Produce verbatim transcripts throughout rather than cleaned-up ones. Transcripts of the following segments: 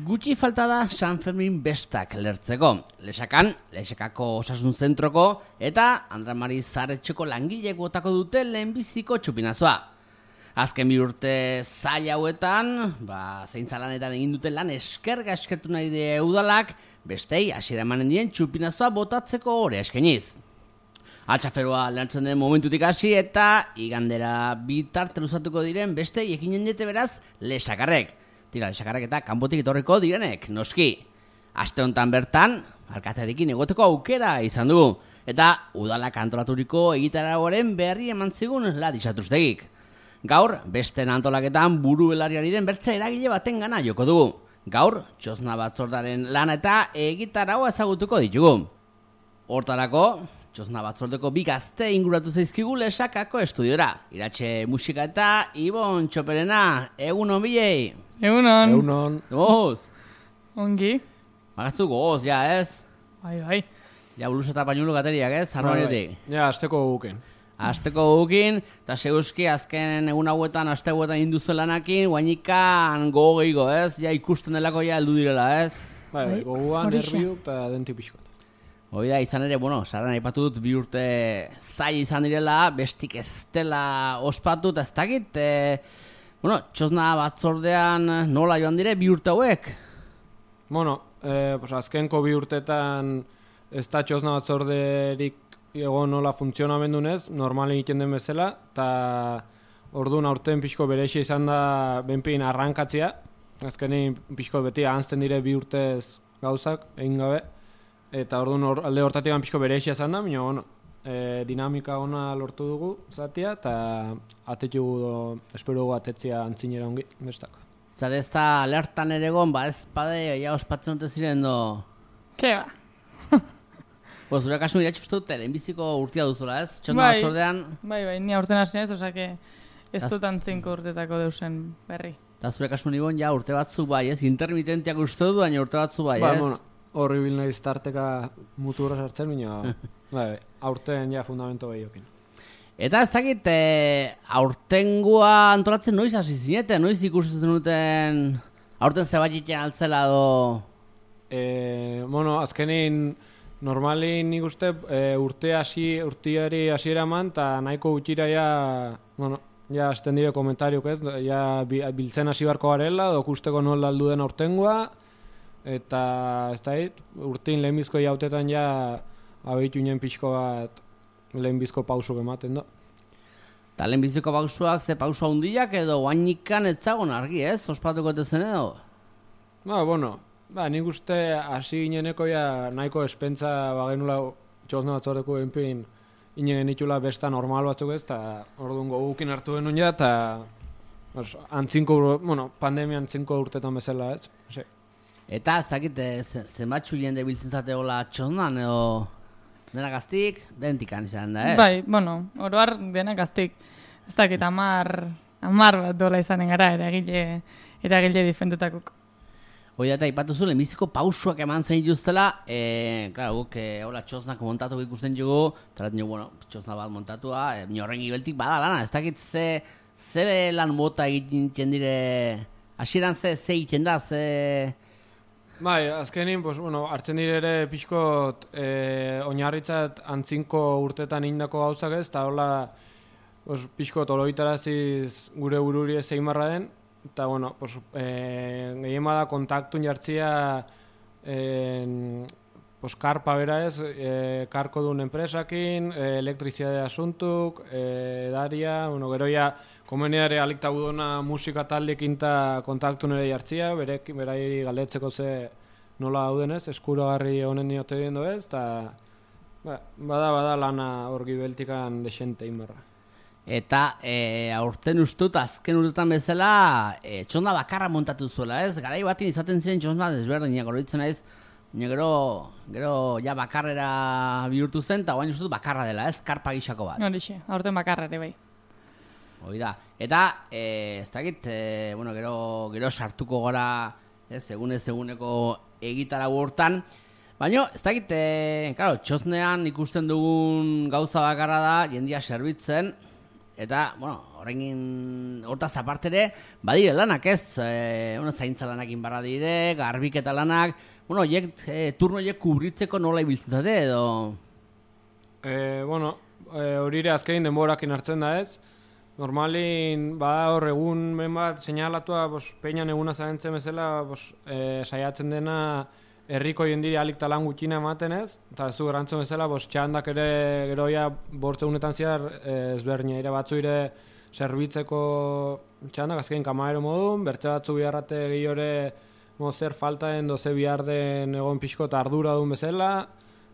Gutxi falta da San Fermin bestak lertzeko. Lesakan, Lesakako osasun zentroko eta Andra Mari Zaretxeko langileek botako dute lehenbiziko txupinazoa. Azken bi urte zaila hauetan, ba, zeintza lanetan egin duten lan eskerga eskertu nahi die udalak, bestei hasiera emanen dien txupinazoa botatzeko ore eskeniz. Altxaferoa lertzen den momentutik hasi eta igandera bitarte luzatuko diren bestei ekinen diete beraz Lesakarrek. Tira, Lesakarrek eta kanpotik etorriko direnek, noski. Aste honetan bertan, alkatearekin egoteko aukera izan dugu. Eta udalak antolaturiko egitaragoaren berri eman zigun Ladisatuztegik. Gaur, beste antolaketan buru belariari den bertze eragile baten gana joko dugu. Gaur, txosna batzordaren lana eta egitaragoa ezagutuko ditugu. Hortarako, txosna batzordeko bi gazte inguratu zaizkigu Lesakako estudiora. Iratxe musika eta Ibon Txoperena, egun on bilei. Egunon. Egunon. Goz. Ongi. Magatzu goz, ja, ez? Bai, bai. Ja, buluz eta pañulo gateriak, ez? Harroanetik. Ja, asteko guken. Asteko gukin, eta seguzki azken egun hauetan, aste hauetan induzu lanakin, guainikan gogo ez? Ja, ikusten delako ja heldu direla, ez? Bai, bai, goguan, nerviuk eta denti pixkoat. Hoi da, izan ere, bueno, saran aipatu dut bi urte zai izan direla, bestik ez dela ospatu, eta ez dakit, e, bueno, txosna batzordean nola joan dire bi urte hauek? Bueno, eh, pues azkenko bi urtetan ez da txosna batzorderik egon nola funtzionamendunez, normalen egiten den bezala, eta orduan aurten pixko berexia izan da benpein arrankatzia, azkenein pixko beti ahanzten dire bi urtez gauzak, egin gabe, eta orduan or, alde hortatik pixko berexia izan da, baina, bueno, e, dinamika ona lortu dugu zatia, eta atetugu do, espero dugu atetzia antzinera ongi, bestako. Zare ez da alertan ere egon, ba ez pade, ja ospatzen dute ziren do... Ke ba? Bo, zure kasu iratxe uste dute, lehenbiziko urtia duzula, ez? Txosna Bai, batzordean... bai, bai, ni aurten hasi naiz, osake ez dut antzinko urtetako deusen berri. Eta zure kasu nibon, ja, urte batzu bai, ez? Intermitentiak uste du, baina urte batzu bai, Ba, ez? bueno, horri bil nahiz tarteka muturra sartzen, baina, bai, aurten ja fundamento behiokin. Eta ez dakit, e, aurtengoa antolatzen noiz hasi zinete, noiz ikusten duten aurten zebat egiten altzela do... E, bueno, azkenin normalin nik uste e, urte hasi, urteari hasiera eman, eta nahiko gutxira ja, bueno, ja hasten dire komentariok ez, ja biltzen hasi barko garela, dokusteko nola aldu den aurtengoa, eta ez da hit, urtein lehenbizko jautetan ja abeitu inen pixko bat lehenbizko pausuk ematen da. Eta lehenbiziko pausuak ze pausu handiak edo guainikan etzagon argi, ez? Ospatuko etezen edo? Ba, bueno, ba, nik uste hasi gineneko ja nahiko espentza bagenula txosna batzordeko enpin inen genitula besta normal batzuk ez, eta orduan gogukin hartu genuen ja, eta os, antzinko, bueno, pandemia antzinko urtetan bezala ez. Sí. Eta ez dakit, zenbatxu jende biltzen zate hola txosnan edo... Dena gaztik, dentikan izan da, ez? Bai, bueno, oroar dena gaztik. Ez dakit, amar, amar bat dola izanen gara, eragile, eragile difendutakuk. Hoi eta ipatu zu, lehenbiziko pausuak eman zen dituztela, e, klaro, guk, e, hola, txosnak montatu ikusten dugu, eta dugu, bueno, txosna bat montatua, e, horren gibeltik bada lana, ez dakit ze, ze lan mota egiten dire, hasieran ze, ze egiten da, ze... Bai, azkenin, pues, bueno, hartzen dire ere pixkot eh, oinarritzat antzinko urtetan indako gauzak ez, eta hola pues, pixkot oroitaraziz gure bururi ez egin barra den, eta bueno, pues, eh, gehien bada kontaktun jartzia eh, pues, karpa bera ez, eh, karko duen enpresakin, eh, elektrizidade asuntuk, eh, edaria, bueno, gero ja komeniare alikta budona musika taldekin eta kontaktu nire jartzia, berek, berai galdetzeko ze nola dauden ez, eskuragarri honen diote diendo ez, eta ba, bada, bada lana hor gibeltikan desente inbarra. Eta e, aurten ustut, azken urtetan bezala, e, txosna bakarra montatu zuela, ez? Garai batin izaten ziren txosna desberdinak oroitzen ez, gero, gero ja bakarrera bihurtu zen, eta guain ustut bakarra dela, ez? Karpa gixako bat. Horixe, aurten bakarra ere bai. Hoi da. Eta, e, ez dakit, e, bueno, gero, gero sartuko gara, ez, egunez eguneko egitara hortan, baina, ez dakit, e, claro, txosnean ikusten dugun gauza bakarra da, jendia serbitzen, Eta, bueno, horrein hortaz aparte ere, badire lanak ez, e, bueno, zaintza lanak inbarra dire, garbiketa lanak, bueno, oiek, e, turno oiek kubritzeko nola ibiltzate edo? E, bueno, hori ere azkein denborakin hartzen da ez. Normalin, bada hor egun ben bat seinalatua, bos, peinan eguna zaintzen bezala, bos, e, saiatzen dena herriko jendiri alik talan gutxina ematen ez, eta ez du garantzun bezala, bos, txandak ere geroia bortzeunetan ziar ezberdina, ere batzu ere zerbitzeko txandak, azkein kamaero modun, bertze batzu biharrate gehiore zer faltaen doze bihar den egon pixko eta ardura duen bezala,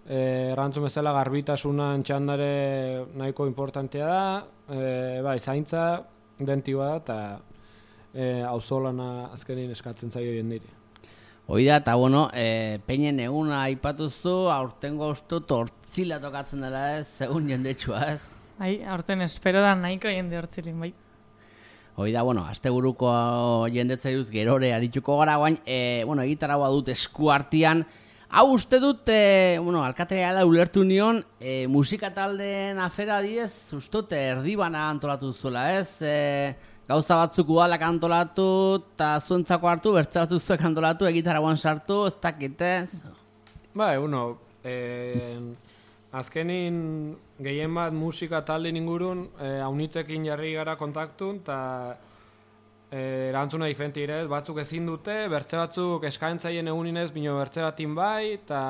e, erantzun bezala garbitasunan txandare nahiko importantea da, e, bai, zaintza, dentiba da, eta e, auzolana azkenin eskatzen zaio jendiri. Hoi da, eta bueno, e, peinen eguna aipatuztu, aurtengo ustu tortzila tokatzen dela ez, segun jendetsua ez. Ai, aurten espero da nahiko jende hortzilin, bai. Hoi da, bueno, asteburuko jendetzaiuz gerore arituko gara guain, e, bueno, egitaragoa dut esku artean. Hau uste dut, e, bueno, alkateala ulertu nion, e, musika taldeen afera diez, ustut erdibana antolatu zuela ez, e, gauza batzuk udalak antolatu, eta zuentzako hartu, bertze batzuk zuek antolatu, egitaragoan sartu, ez dakitez. Ba, bueno, eh, azkenin gehien bat musika talde ingurun, eh, haunitzekin jarri gara kontaktun, eta eh, erantzuna diferenti ere, batzuk ezin dute, bertze batzuk eskaintzaien eguninez, bino bertze batin bai, eta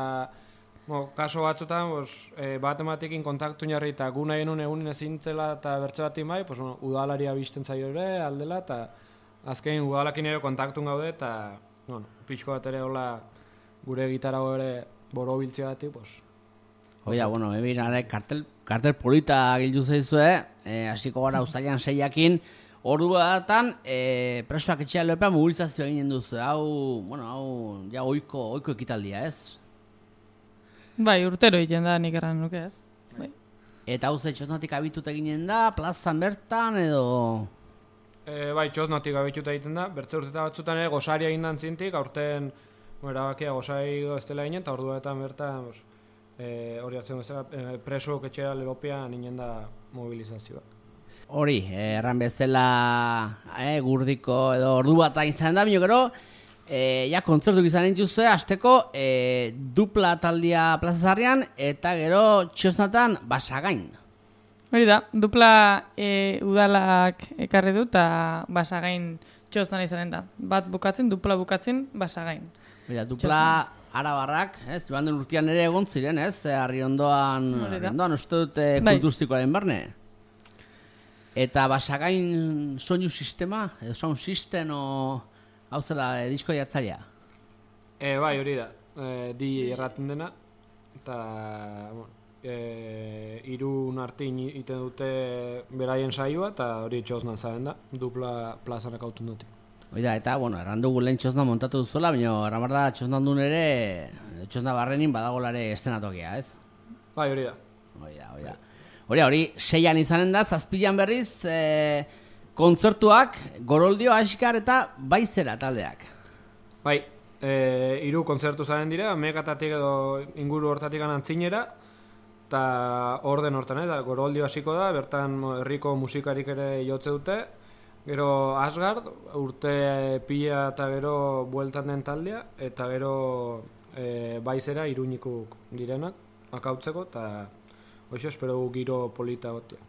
Bo, kaso batzutan, bos, e, bat ematekin kontaktu jarri eta gu nahi enun egunin ezintzela eta bertze bat bai, pues, bueno, udalaria bizten zaio ere, aldela, eta azkein udalakin ere kontaktun gaude, eta bueno, pixko bat ere hola gure gitarago ere boro biltzea bati, pues. Oia, bueno, ebin, are, kartel, kartel polita gildu zaizue, e, hasiko gara uztailan seiakin, ordu batatan, e, presoak etxea lepean mobilizazioa eginen duzu, hau, bueno, hau, ja, oiko, oiko ekitaldia, ez? Bai, urtero egiten da nik erran nuke ez. Bai. Eta hau ze txosnatik abitut eginen da, plazan bertan edo... E, bai, txosnatik abitut egiten da, bertze urteta batzutan ere gosaria egin dan zintik, aurten erabakia gosari ez dela ginen, eta orduetan bertan bos, e, hori hartzen bezala e, preso ketxera lelopean ginen da mobilizazioa. Hori, erran bezala e, gurdiko edo ordu bat izan da, bino gero, E, ja, kontzertuk izan dituzue, azteko e, dupla taldia plazazarrian eta gero txosnatan basagain. Hori da, dupla e, udalak ekarri du eta basagain txosnan izanen da. Bat bukatzen, dupla bukatzen, basagain. Hori da, dupla arabarrak, ez, joan den urtean ere egon ziren, ez, harri ondoan, harri ondoan, uste dut e, kulturzikoaren barne. Eta basagain soinu sistema, edo sound system, o... Hau zela, e, disko jartzailea? E, bai, hori da. E, di erraten dena. Eta, bueno, e, irun artin iten dute beraien saioa, eta hori txosnan zaren da. Dupla plazanak autun dute. Hori da, eta, bueno, erran dugu lehen txosna montatu duzuela, baina erran behar da txosnan duen ere, txosna barrenin badagolare estenatokia, ez? Bai, hori da. Hori da, hori da. Hori da, hori, seian izanen da, zazpilan berriz, e, kontzertuak, Goroldio, Askar eta Baizera taldeak. Bai, e, hiru kontzertu zaren dira, Mekatatik edo inguru hortatik antzinera, eta orden hortan, eta Goroldio hasiko da, bertan herriko musikarik ere jotze dute, gero Asgard, urte pila eta gero bueltan den taldea, eta gero e, Baizera iruñikuk direnak, akautzeko, eta hoxe espero giro polita gotia.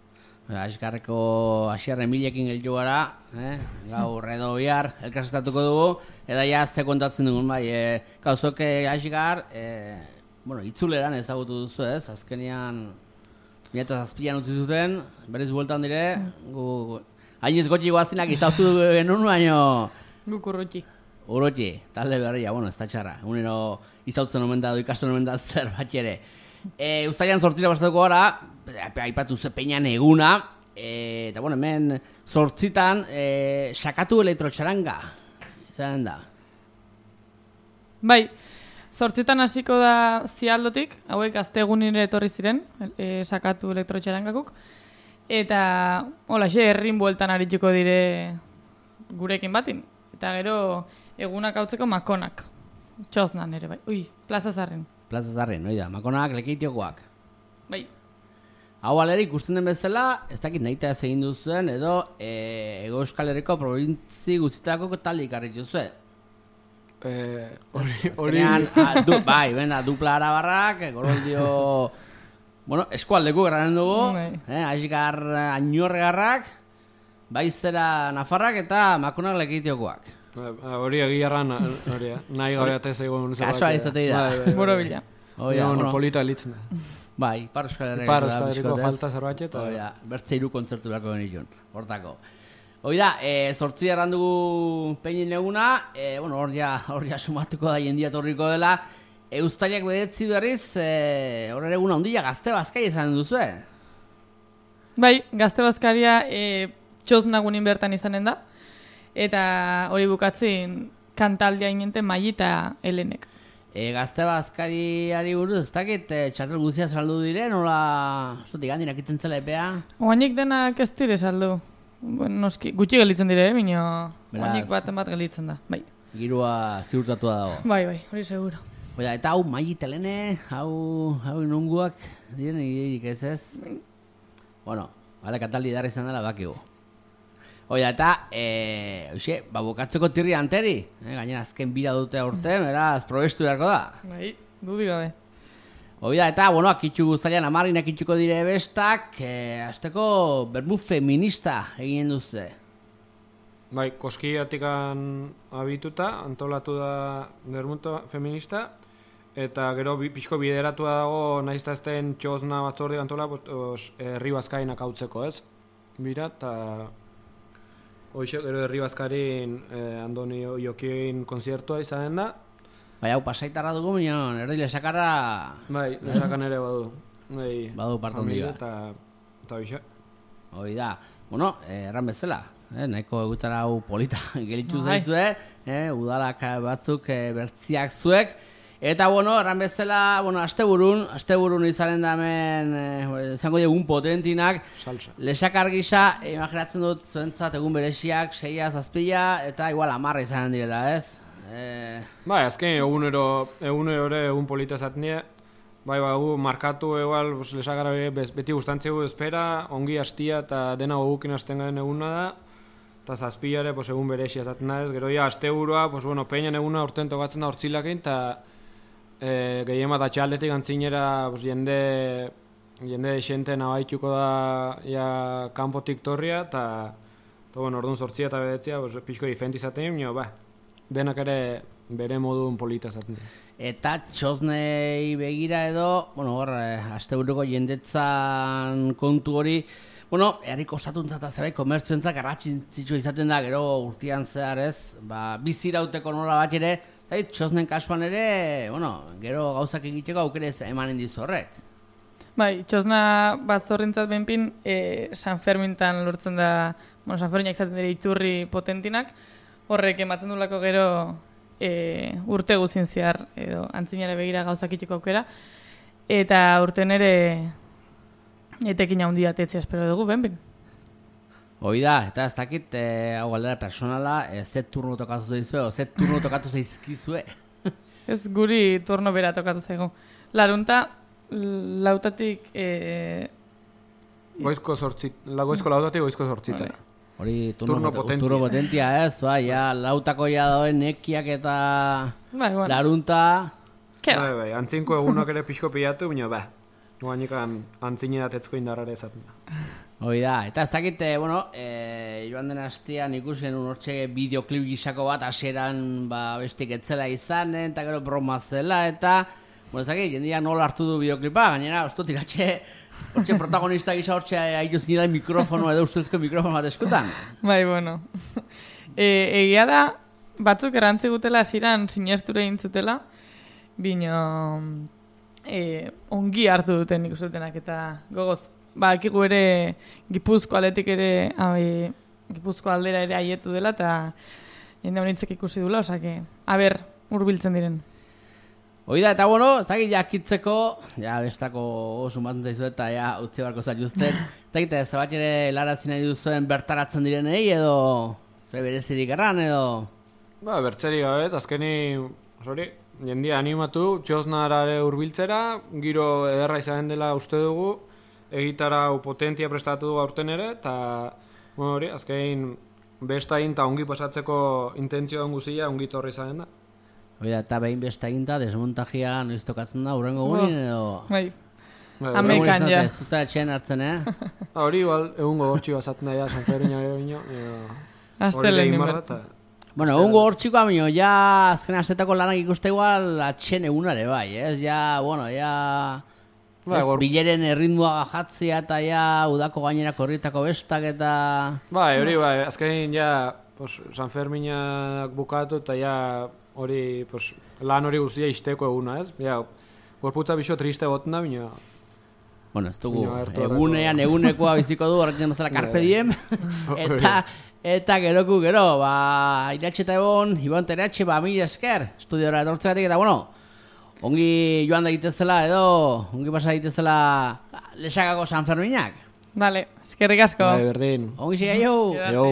Askarreko asiarren milekin geldu gara, eh? Gaur edo bihar elkarzetatuko dugu, eta ja ze kontatzen dugun bai, e, gauzok Asgar, e, bueno, itzuleran ezagutu duzu ez, azkenean mila eta zazpian utzi zuten, berriz bueltan dire, gu, hainez gotxi guazinak izautu genuen, baino... Guk urrutxi. Urrutxi, talde berria, bueno, ez da txarra, unero izautzen omen da, ikasten omen da zer bat ere. E, Uztailan sortzira bastatuko gara, aipatu ze peinan eguna, e, eta bueno, hemen sortzitan e, sakatu elektrotxaranga, izan da. Bai, sortzitan hasiko da Zialdotik, hauek azte egunire etorri ziren, e, sakatu elektrotxarangakuk, eta hola, xe, herrin bueltan arituko dire gurekin batin, eta gero egunak hautzeko makonak, txosnan ere bai, ui, Plaza Zarren. Plaza Zarren, hori da, makonak, lekeitiokoak. Bai. Hau alere ikusten den bezala, ez dakit nahita ez egin duzuen, edo e, Ego Euskal Herriko probintzi guztietako talde ikarri duzue. Eh, hori, hori... Du, bai, bena, dupla arabarrak, Goroldio... bueno, eskualdeko garranen dugu, eh, Aizgar Ainorregarrak, Baizera Nafarrak eta Makunak Lekitiokoak. Hori egiarran, hori, nahi gabe atez egon zerbait. Kasua izatei da. Boro bila. Oia, bueno, polita elitzen da. Bai, Ipar Euskal Herriko. Ipar Euskal Herriko falta zerbait eta... Oia, bertze hiru kontzertu berako genitxun, hortako. Oida, e, zortzi errandugu peinin eguna, e, bueno, hor ja, hor ja sumatuko da jendia torriko dela, Eustaiak bedetzi berriz, e, hor ere eguna ondila gazte bazkai izan duzue. Bai, gazte bazkaria e, txosnagunin bertan izanen da, eta hori bukatzen kantaldia inenten Mai eta Helenek. E, gazte bazkariari buruz, ez dakit, e, txartel guzia saldu diren, nola, zutik handinak itzen zela epea? Oainik denak ez dire saldu. Bueno, noski, gutxi gelitzen dire, bino, oainik Beraz. bat bat gelitzen da, bai. Girua ziurtatua dago. Bai, bai, hori seguro. Oida, eta hau Mai telene, hau, hau nunguak, diren ideik ez ez? Bueno, bale, kataldi darra izan dela bakigu. Oida, eta, e, oixe, ba, bukatzeko tirri anteri, eh, gainera azken bira dute aurte, beraz, probestu beharko da. Bai, dudik gabe. Oida, eta, bueno, akitxu guztaian amarrin akitxuko dire bestak, e, azteko bermu feminista egin duze. Bai, koskiatikan abituta, antolatu da bermuto feminista, eta gero bi, pixko bideratua dago, nahiz eta ezten txosna batzorde antola, os, herri bazkainak hautzeko, ez? Bira, eta... Hoxe, gero herri bazkarin eh, Andoni Jokien konzertua izanen da. Bai, hau pasaitarra dugu, minon, erdi lesakarra... Bai, lesakan ere badu. Bai, badu parte handi bat. Eta, eta hoxe. Hoi da, bueno, eh, erran bezala, eh, nahiko egutara hau polita gelitzu Bai. zaizue, eh, udalak batzuk eh, bertziak zuek, eta bueno, erran bezala, bueno, asteburun, asteburun izanen da hemen, eh, izango diegun potentinak, Salsa. lesakar gisa, eh, imaginatzen dut zuentzat egun bereziak, seia, zazpila, eta igual amarra izanen direla, ez? Eh, Bai, azken egunero, egunero ere egun polita zaten dira. Bai, bai, gu markatu egual, pues, lesakara beti gustantzegu espera, ongi hastia eta dena gogukin hasten garen eguna da. Eta zazpila ere, pues, egun berexia zaten da ez. Gero ja, asteburua, pues, bueno, peinan eguna urten tokatzen da hortzilakin, eta e, gehien bat atxaldetik antzinera, pues, jende, jende xente nabaituko da ja, kanpotik torria, eta, eta bueno, orduan zortzia eta bedetzia, pues, pixko diferenti zaten nio, ba, denak ere bere modun polita zaten dira. Eta txosnei begira edo, bueno, hor, eh, asteburuko jendetzan kontu hori, bueno, herriko osatuntzat eta zerbait komertzioentzak garrantzitsua izaten da, gero urtean zehar ez, ba, bizirauteko nola bat ere, eta txosnen kasuan ere, bueno, gero gauzak egiteko aukere emanen dizu horrek. Bai, txosna batzorrintzat benpin, e, San Fermintan lortzen da, bueno, San Ferminak izaten dira iturri potentinak, horrek ematen dulako gero e, urte guzin zehar, edo antzinare begira gauzak itxeko aukera, eta urten ere etekin handia tetzea espero dugu, benpin. Hoi da, eta ez dakit, e, hau galdera personala, e, ze turno tokatu zaizue, o ze turno tokatu zaizkizue. Ez guri turno bera tokatu zaigu. Larunta, lautatik... E, Goizko zortzit, la goizko lautatik goizko zortzita. Vale. Hori turno, Turno pot- potentia. turno potentia ez, bai, ja, lautako ja dauen nekiak eta bai, bueno, larunta... ke Bai, bai, antzinko egunak ere pixko pilatu, baina ba, guanikan antzine datetzko indarrare ezaten da. Hoi da, eta ez dakit, eh, bueno, e, joan den hastian ikusen unortxe bideoklip gisako bat hasieran ba, bestik etzela izanen, eta gero broma zela, eta, bueno, ez dakit, jendia nola hartu du bideoklipa, gainera, osto tiratxe, hortxe protagonista gisa hortxe haitu zinela mikrofono edo ustezko mikrofono bat eskutan. bai, bueno. e, egia da, batzuk errantzi gutela hasieran sinesture intzutela, bino e, ongi hartu duten ikusutenak eta gogoz. Ba, ekigu ere Gipuzko aldetik ere, ai, Gipuzko aldera ere aietu dela, eta jende honitzek ikusi dula, osake, aber, hurbiltzen diren. Hoi da, eta bueno, zaki jakitzeko, ja bestako sumatzen zaizu eta ja utzi barko zaituzten. Zagite, ez bat ere laratzen nahi duzuen bertaratzen direnei edo zer berezirik erran edo... Ba, bertzeri gabe, azkeni, sorry, jendia animatu, txosnarare hurbiltzera, giro ederra izanen dela uste dugu, egitarau potentia prestatu du aurten ere, eta bueno, hori, azkein bestain eta ongi pasatzeko intentzioa guzia ongi torri zaren da. Oida, eta behin besta eginda, desmontajia noiz tokatzen da, urrengo gurin edo... Bai, Bai, amekan ja. Ez duzta etxean hartzen, eh? hori, igual, egun gogortxi bazaten da, ja, San Fermina gero Azte lehen inbarra. Bueno, egun gogortxikoa, minio, ja azken astetako lanak ikuste igual atxen egunare bai, ez? Ja, bueno, ja... Bai, Ez, gor- bileren erritmoa gajatzea eta ja udako gainerako horrietako bestak eta... Bai, hori, bai, azkenin ja, pues, San Ferminak bukatu eta ja, hori, pues, lan hori guztia isteko eguna, ez? Ja, gorputza bixo triste goten da, bina... Bueno, ez dugu, Bino, hartu horreko- egunean egunekoa biziko du, horrekin mazala carpe diem, eta, eta geroku gero, ba, iratxe eta egon, Ibon Teratxe, ba, mila esker, estudiora etortzegatik, eta bueno, ongi joan da egitezela, edo, ongi pasa egitezela Lesakako San Ferminak. Vale, eskerrik asko. Bai, berdin. Ongi siga jo! Quédate. Yo.